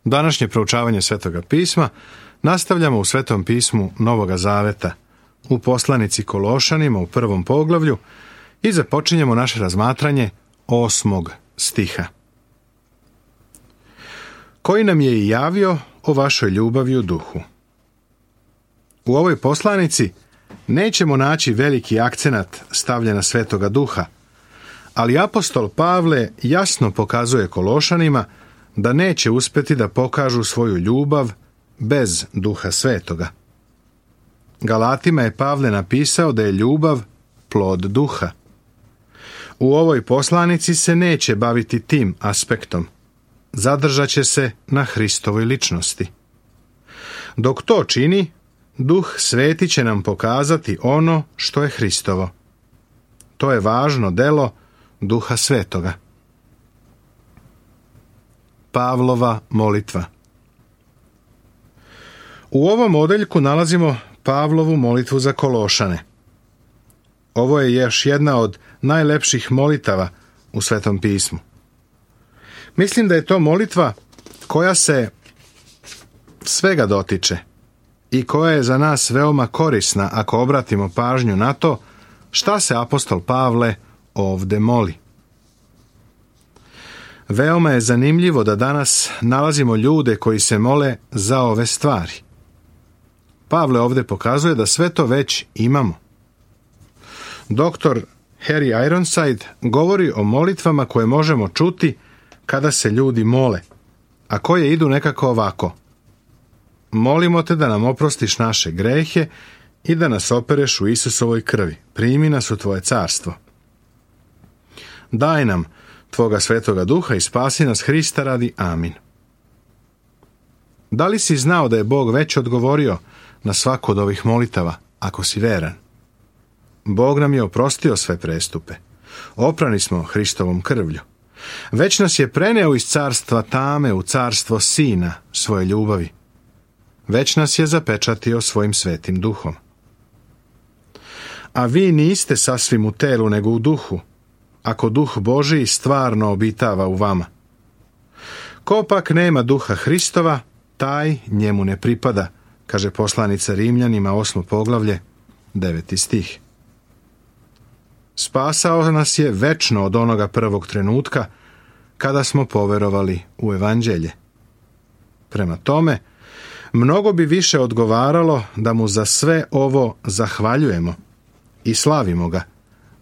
Današnje proučavanje Svetoga pisma nastavljamo u Svetom pismu Novoga Zaveta, u poslanici Kološanima u 1. poglavlju i započinjemo naše razmatranje 8. stiha. Koji nam je i javio o vašoj ljubavi u duhu. U ovoj poslanici nećemo naći veliki akcenat stavljen na Svetoga Duha, ali apostol Pavle jasno pokazuje Kološanima da neće uspjeti da pokažu svoju ljubav bez Duha Svetoga. Galatima je Pavle napisao da je ljubav plod Duha. U ovoj poslanici se neće baviti tim aspektom. Zadržat će se na Hristovoj ličnosti. Dok to čini, Duh Sveti će nam pokazati ono što je Hristovo. To je važno delo Duha Svetoga. Pavlova molitva. U ovom odeljku nalazimo Pavlovu molitvu za Kološane. Ovo je još jedna od najlepših molitava u Svetom pismu. Mislim da je to molitva koja se svega dotiče i koja je za nas veoma korisna ako obratimo pažnju na to šta se apostol Pavle ovde moli. Veoma je zanimljivo da danas nalazimo ljude koji se mole za ove stvari. Pavle ovde pokazuje da sve to već imamo. Doktor Harry Ironside govori o molitvama koje možemo čuti kada se ljudi mole, a koje idu nekako ovako. Molimo te da nam oprostiš naše grehe i da nas opereš u Isusovoj krvi. Primi nas u tvoje carstvo. Daj nam tvoga Svetoga Duha i spasi nas Hrista radi. Amin. Da li si znao da je Bog već odgovorio na svaku od ovih molitava, ako si veran? Bog nam je oprostio sve prestupe. Oprani smo Hristovom krvlju. Već nas je preneo iz carstva tame u carstvo Sina svoje ljubavi. Već nas je zapečatio svojim Svetim Duhom. A vi niste sasvim u telu, nego u duhu, ako Duh Božiji stvarno obitava u vama. Ko pak nema Duha Hristova, taj njemu ne pripada, kaže poslanica Rimljanima 8. poglavlje, 9. stih. Spasao nas je večno od onoga prvog trenutka kada smo poverovali u evanđelje. Prema tome, mnogo bi više odgovaralo da mu za sve ovo zahvaljujemo i slavimo ga,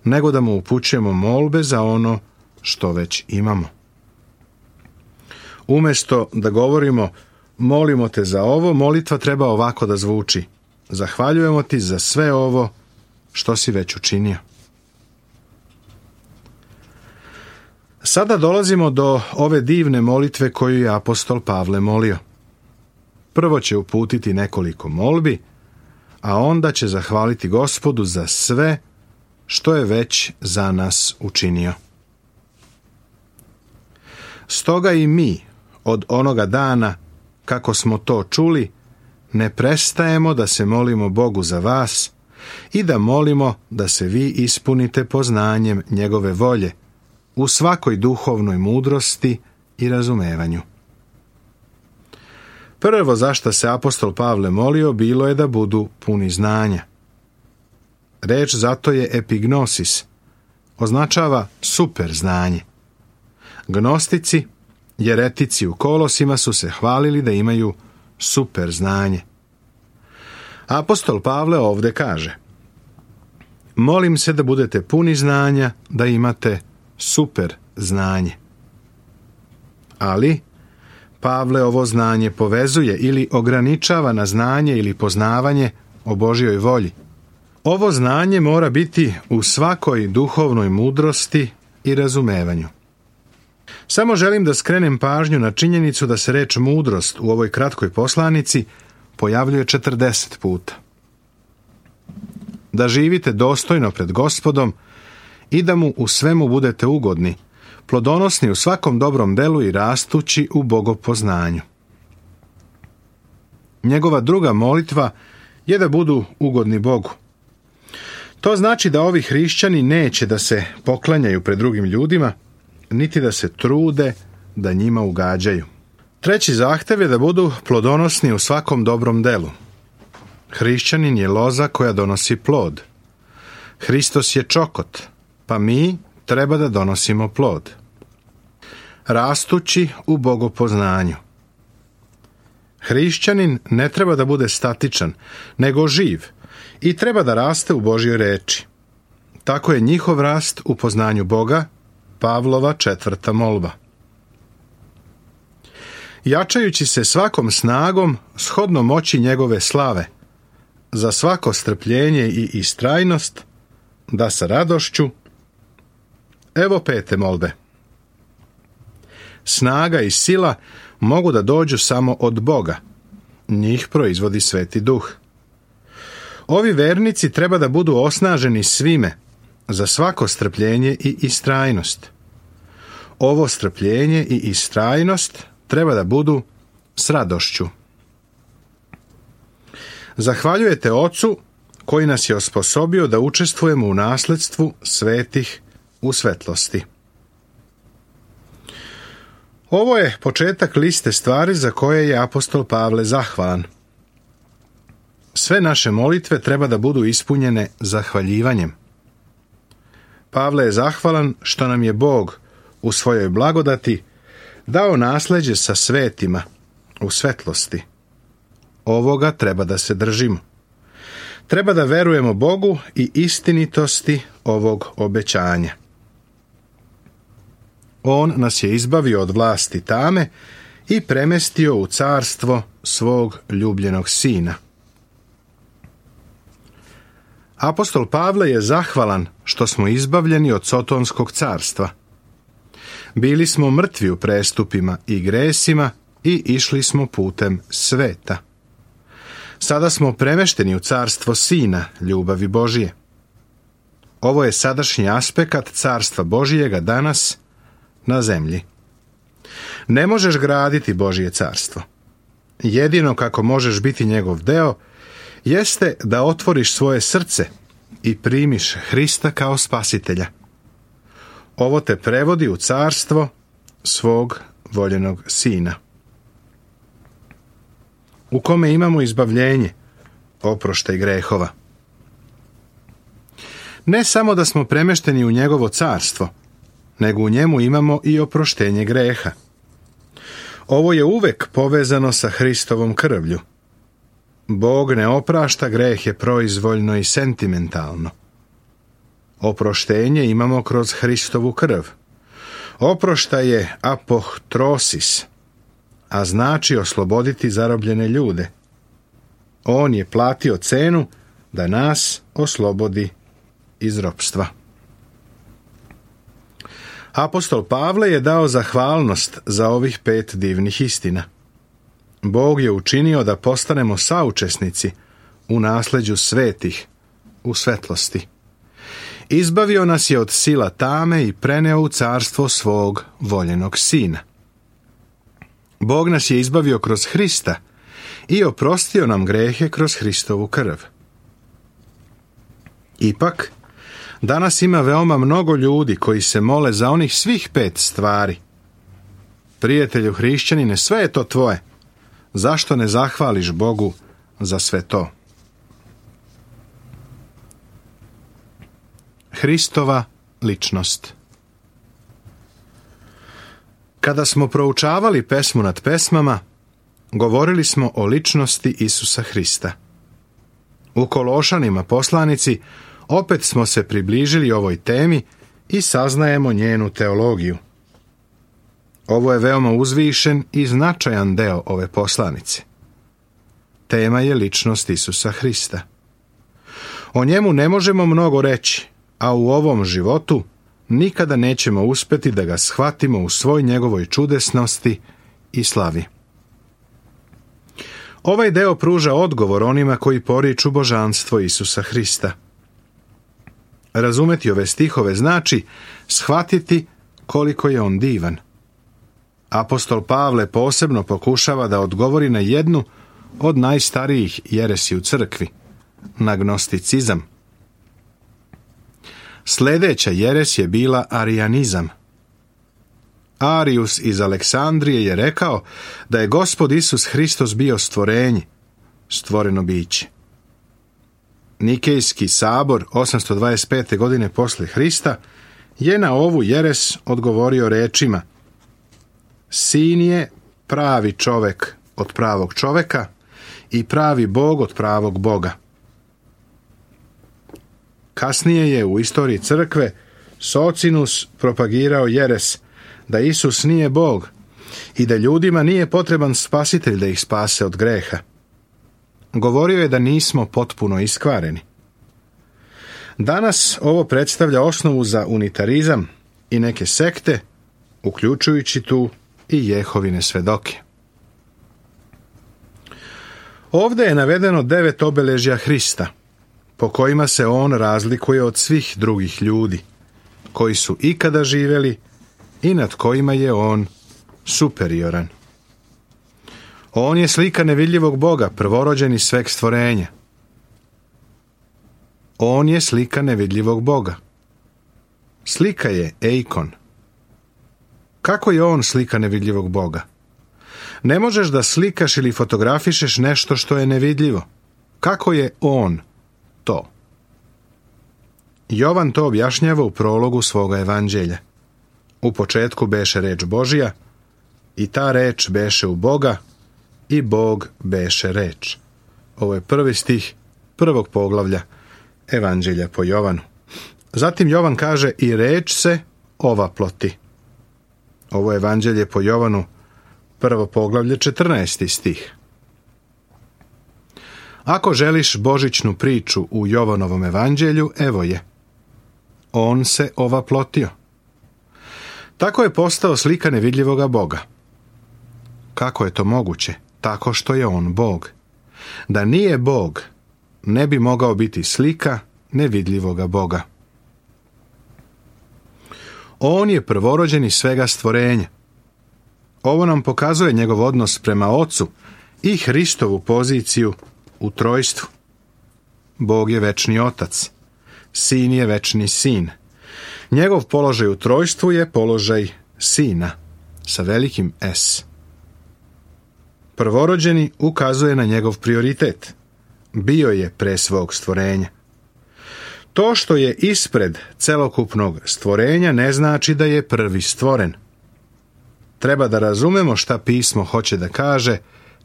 nego da mu upućujemo molbe za ono što već imamo. Umjesto da govorimo molimo te za ovo, molitva treba ovako da zvuči: zahvaljujemo ti za sve ovo što si već učinio. Sada dolazimo do ove divne molitve koju je apostol Pavle molio. Prvo će uputiti nekoliko molbi, a onda će zahvaliti Gospodu za sve što je već za nas učinio. Stoga i mi od onoga dana kako smo to čuli, ne prestajemo da se molimo Bogu za vas i da molimo da se vi ispunite poznanjem njegove volje u svakoj duhovnoj mudrosti i razumevanju. Prvo za što se apostol Pavle molio bilo je da budu puni znanja. Reč zato je epignosis, označava super znanje. Gnostici, jeretici u Kolosima su se hvalili da imaju super znanje. Apostol Pavle ovde kaže: molim se da budete puni znanja, da imate super znanje. Ali Pavle ovo znanje povezuje ili ograničava na znanje ili poznavanje o Božjoj volji. Ovo znanje mora biti u svakoj duhovnoj mudrosti i razumevanju. Samo želim da skrenem pažnju na činjenicu da se reč mudrost u ovoj kratkoj poslanici pojavljuje 40 puta. Da živite dostojno pred Gospodom i da mu u svemu budete ugodni, plodonosni u svakom dobrom delu i rastući u bogopoznanju. Njegova druga molitva je da budu ugodni Bogu. To znači da ovi hrišćani neće da se poklanjaju pred drugim ljudima, niti da se trude da njima ugađaju. Treći zahtjev je da budu plodonosni u svakom dobrom delu. Hrišćanin je loza koja donosi plod. Hristos je čokot, pa mi treba da donosimo plod. Rastući u bogopoznanju. Hrišćanin ne treba da bude statičan, nego živ i treba da raste u Božjoj reči. Tako je njihov rast u poznanju Boga, Pavlova 4. molba. Jačajući se svakom snagom, shodno moći njegove slave, za svako strpljenje i istrajnost, da sa radošću. Evo 5. molbe. Snaga i sila mogu da dođu samo od Boga. Njih proizvodi Sveti Duh. Ovi vernici treba da budu osnaženi svime, za svako strpljenje i istrajnost. Ovo strpljenje i istrajnost treba da budu s radošću. Zahvaljujete Ocu koji nas je osposobio da učestvujemo u nasledstvu svetih u svetlosti. Ovo je početak liste stvari za koje je apostol Pavle zahvalan. Sve naše molitve treba da budu ispunjene zahvaljivanjem. Pavle je zahvalan što nam je Bog u svojoj blagodati dao nasleđe sa svetima u svetlosti. Ovoga treba da se držimo. Treba da verujemo Bogu i istinitosti ovog obećanja. On nas je izbavio od vlasti tame i premestio u carstvo svog ljubljenog Sina. Apostol Pavle je zahvalan što smo izbavljeni od Sotonskog carstva. Bili smo mrtvi u prestupima i gresima i išli smo putem sveta. Sada smo premešteni u carstvo Sina, ljubavi Božije. Ovo je sadašnji aspekt carstva Božijega danas na zemlji. Ne možeš graditi Božje carstvo. Jedino kako možeš biti njegov deo jeste da otvoriš svoje srce i primiš Hrista kao spasitelja. Ovo te prevodi u carstvo svog voljenog Sina, u kome imamo izbavljenje, oproštaj grehova. Ne samo da smo premešteni u njegovo carstvo, nego u njemu imamo i oproštenje greha. Ovo je uvek povezano sa Hristovom krvlju. Bog ne oprašta grehe proizvoljno i sentimentalno. Oproštenje imamo kroz Hristovu krv. Oproštaj je apohtrosis, a znači osloboditi zarobljene ljude. On je platio cenu da nas oslobodi iz ropstva. Apostol Pavle je dao zahvalnost za ovih 5 divnih istina. Bog je učinio da postanemo saučesnici u nasleđu svetih, u svetlosti. Izbavio nas je od sila tame i preneo u carstvo svog voljenog Sina. Bog nas je izbavio kroz Hrista i oprostio nam grehe kroz Hristovu krv. Ipak, danas ima veoma mnogo ljudi koji se mole za onih svih 5 stvari. Prijatelju hrišćanine, sve je to tvoje. Zašto ne zahvališ Bogu za sve to? Hristova ličnost. Kada smo proučavali pesmu nad pesmama, govorili smo o ličnosti Isusa Hrista. U Kološanima poslanici opet smo se približili ovoj temi i saznajemo njenu teologiju. Ovo je veoma uzvišen i značajan deo ove poslanice. Tema je ličnost Isusa Hrista. O njemu ne možemo mnogo reći, a u ovom životu nikada nećemo uspjeti da ga shvatimo u svoj njegovoj čudesnosti i slavi. Ovaj deo pruža odgovor onima koji poriču božanstvo Isusa Hrista. Razumeti ove stihove znači shvatiti koliko je on divan. Apostol Pavle posebno pokušava da odgovori na jednu od najstarijih jeresi u crkvi, na gnosticizam. Sljedeća jeres je bila arijanizam. Arijus iz Aleksandrije je rekao da je Gospod Isus Hristos bio stvorenje, stvoreno biće. Nikejski sabor 825. godine posle Hrista je na ovu jeres odgovorio rečima: Sin je pravi čovek od pravog čoveka i pravi Bog od pravog Boga. Kasnije je u istoriji crkve Socinus propagirao jeres da Isus nije Bog i da ljudima nije potreban spasitelj da ih spase od greha. Govorio je da nismo potpuno iskvareni. Danas ovo predstavlja osnovu za unitarizam i neke sekte, uključujući tu i Jehovine svedoke. Ovde je navedeno 9 obeležja Hrista, po kojima se on razlikuje od svih drugih ljudi, koji su ikada živjeli i nad kojima je on superioran. On je slika nevidljivog Boga, prvorođen iz sveg stvorenja. On je slika nevidljivog Boga. Slika je eikon. Kako je on slika nevidljivog Boga? Ne možeš da slikaš ili fotografišeš nešto što je nevidljivo. Kako je on to? Jovan to objašnjava u prologu svoga evanđelja. U početku beše reč Božija, i ta reč beše u Boga, i Bog beše reč. Ovo je 1. stih 1. poglavlja Evanđelja po Jovanu. Zatim Jovan kaže: i reč se ovaploti. Ovo je Evanđelje po Jovanu, 1. poglavlje 14. stih. Ako želiš božićnu priču u Jovanovom evanđelju, evo je. On se ovaplotio. Tako je postao slika nevidljivoga Boga. Kako je to moguće? Tako što je on Bog. Da nije Bog, ne bi mogao biti slika nevidljivoga Boga. On je prvorođeni svega stvorenja. Ovo nam pokazuje njegov odnos prema Ocu i Hristovu poziciju u trojstvu. Bog je večni Otac, Sin je večni Sin. Njegov položaj u trojstvu je položaj Sina sa velikim S. Prvorođeni ukazuje na njegov prioritet. Bio je pre svog stvorenja. To što je ispred celokupnog stvorenja ne znači da je prvi stvoren. Treba da razumemo šta pismo hoće da kaže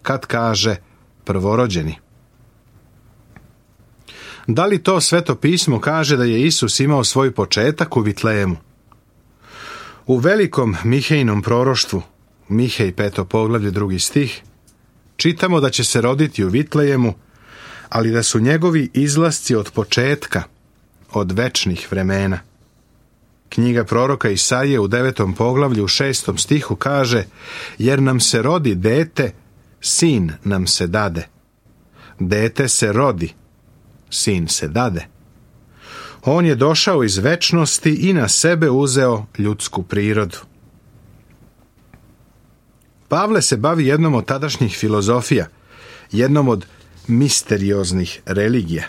kad kaže prvorođeni. Da li to Sveto pismo kaže da je Isus imao svoj početak u Vitlejemu? U velikom Mihejinom proroštvu, Mihej 5. poglavlje 2. stih, čitamo da će se roditi u Vitlejemu, ali da su njegovi izlasci od početka, od večnih vremena. Knjiga proroka Isaije u 9. poglavlju u 6. stihu kaže: jer nam se rodi dete, sin nam se dade. Dete se rodi, sin se dade. On je došao iz večnosti i na sebe uzeo ljudsku prirodu. Pavle se bavi jednom od tadašnjih filozofija, jednom od misterioznih religija.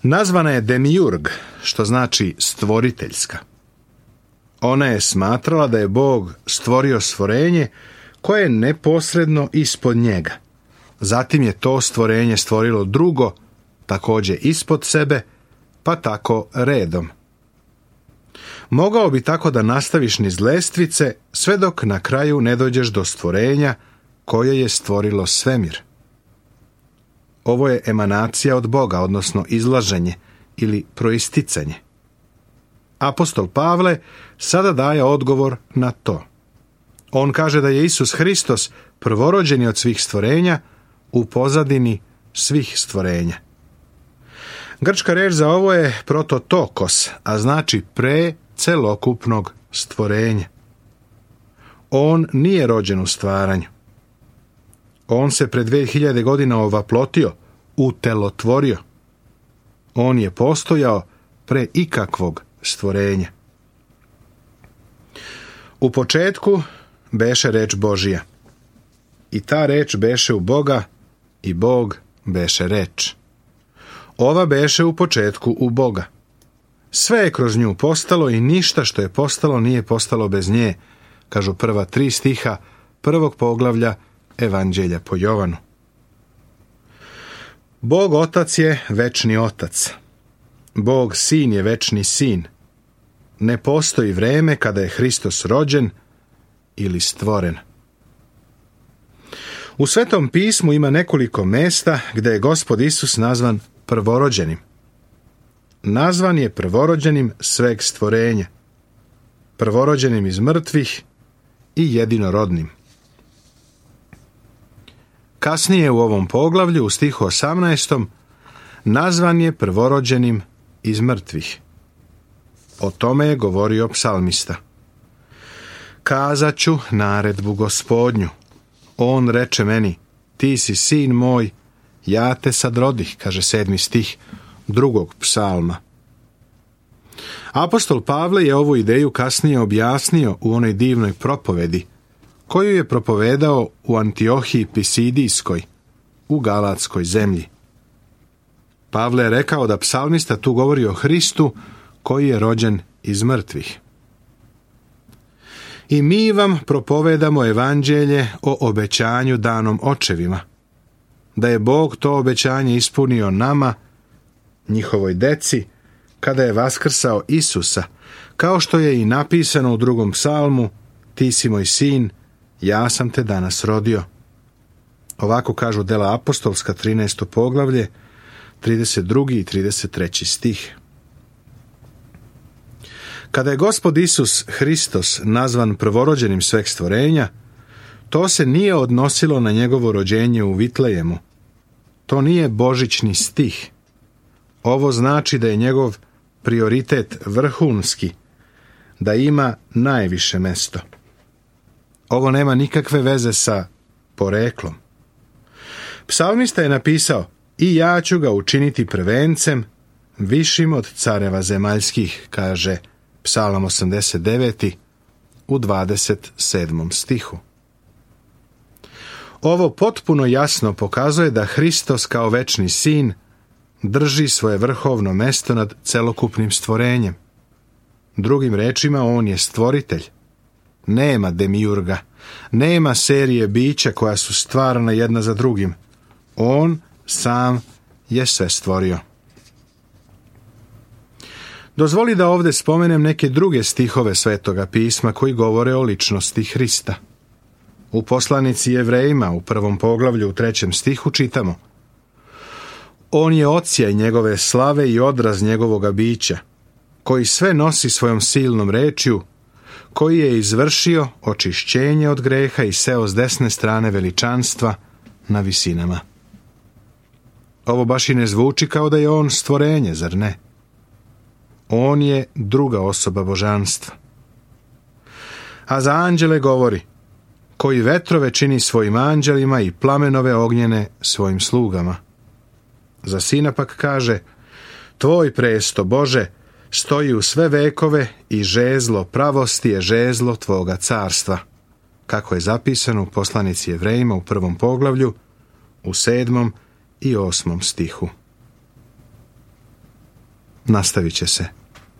Nazvana je demiurg, što znači stvoriteljska. Ona je smatrala da je Bog stvorio stvorenje koje je neposredno ispod njega. Zatim je to stvorenje stvorilo drugo, također ispod sebe, pa tako redom. Mogao bi tako da nastaviš niz lestvice sve dok na kraju ne dođeš do stvorenja koje je stvorilo svemir. Ovo je emanacija od Boga, odnosno izlaženje ili proisticanje. Apostol Pavle sada daje odgovor na to. On kaže da je Isus Hristos prvorođeni od svih stvorenja u pozadini svih stvorenja. Grčka reč za ovo je prototokos, a znači pre celokupnog stvorenja. On nije rođen u stvaranju. On se pred 2000 godina ovaplotio, utelotvorio. On je postojao pre ikakvog stvorenja. U početku beše reč Božija. I ta reč beše u Boga i Bog beše reč. Ova beše u početku u Boga. Sve je kroz nju postalo i ništa što je postalo nije postalo bez nje. kažu prva 3 stiha prvog poglavlja Evanđelja po Jovanu. Bog Otac je večni Otac. Bog Sin je večni Sin. Ne postoji vreme kada je Hristos rođen ili stvoren. U Svetom pismu ima nekoliko mesta gdje je Gospod Isus nazvan prvorođenim. Nazvan je prvorođenim sveg stvorenja, prvorođenim iz mrtvih i jedinorodnim. Kasnije u ovom poglavlju, u stihu 18. nazvan je prvorođenim iz mrtvih. O tome je govorio psalmista. Kazat ću naredbu Gospodnju. On reče meni, ti si sin moj, ja te sad rodih, kaže 7. stih 2. psalma. Apostol Pavle je ovu ideju kasnije objasnio u onoj divnoj propovedi, koju je propovedao u Antiohiji Pisidijskoj, u Galatskoj zemlji. Pavle je rekao da psalmista tu govori o Hristu koji je rođen iz mrtvih. I mi vam propovedamo evanđelje o obećanju danom očevima, da je Bog to obećanje ispunio nama, njihovoj deci, kada je vaskrsao Isusa, kao što je i napisano u 2. psalmu, ti si moj sin, ja sam te danas rodio. Ovako kažu Dela apostolska 13. poglavlje, 32. i 33. stih. Kada je Gospod Isus Hristos nazvan prvorođenim sveg stvorenja, to se nije odnosilo na njegovo rođenje u Vitlejemu. To nije božićni stih. Ovo znači da je njegov prioritet vrhunski, da ima najviše mesto. Ovo nema nikakve veze sa poreklom. Psalmista je napisao, i ja ću ga učiniti prvencem, višim od careva zemaljskih, kaže Psalam 89. u 27. stihu. Ovo potpuno jasno pokazuje da Hristos kao večni sin drži svoje vrhovno mesto nad celokupnim stvorenjem. Drugim rečima, on je stvoritelj. Nema demiurga, nema serije bića koja su stvarana jedna za drugim. On sam je sve stvorio. Dozvoli da ovdje spomenem neke druge stihove Svetoga pisma koji govore o ličnosti Hrista. U poslanici Jevrejima u 1. poglavlju u 3. stihu čitamo: On je odsjaj njegove slave i odraz njegovoga bića, koji sve nosi svojom silnom rečju, koji je izvršio očišćenje od greha i seo s desne strane veličanstva na visinama. Ovo baš i ne zvuči kao da je on stvorenje, zar ne? On je druga osoba božanstva. A za anđele govori, koji vetrove čini svojim anđelima i plamenove ognjene svojim slugama. Za sina pak kaže, tvoj presto, Bože, stoji u sve vekove i žezlo pravosti je žezlo tvoga carstva, kako je zapisano u poslanici Jevrejima u 1. poglavlju, u 7. i 8. stihu. Nastavit će se.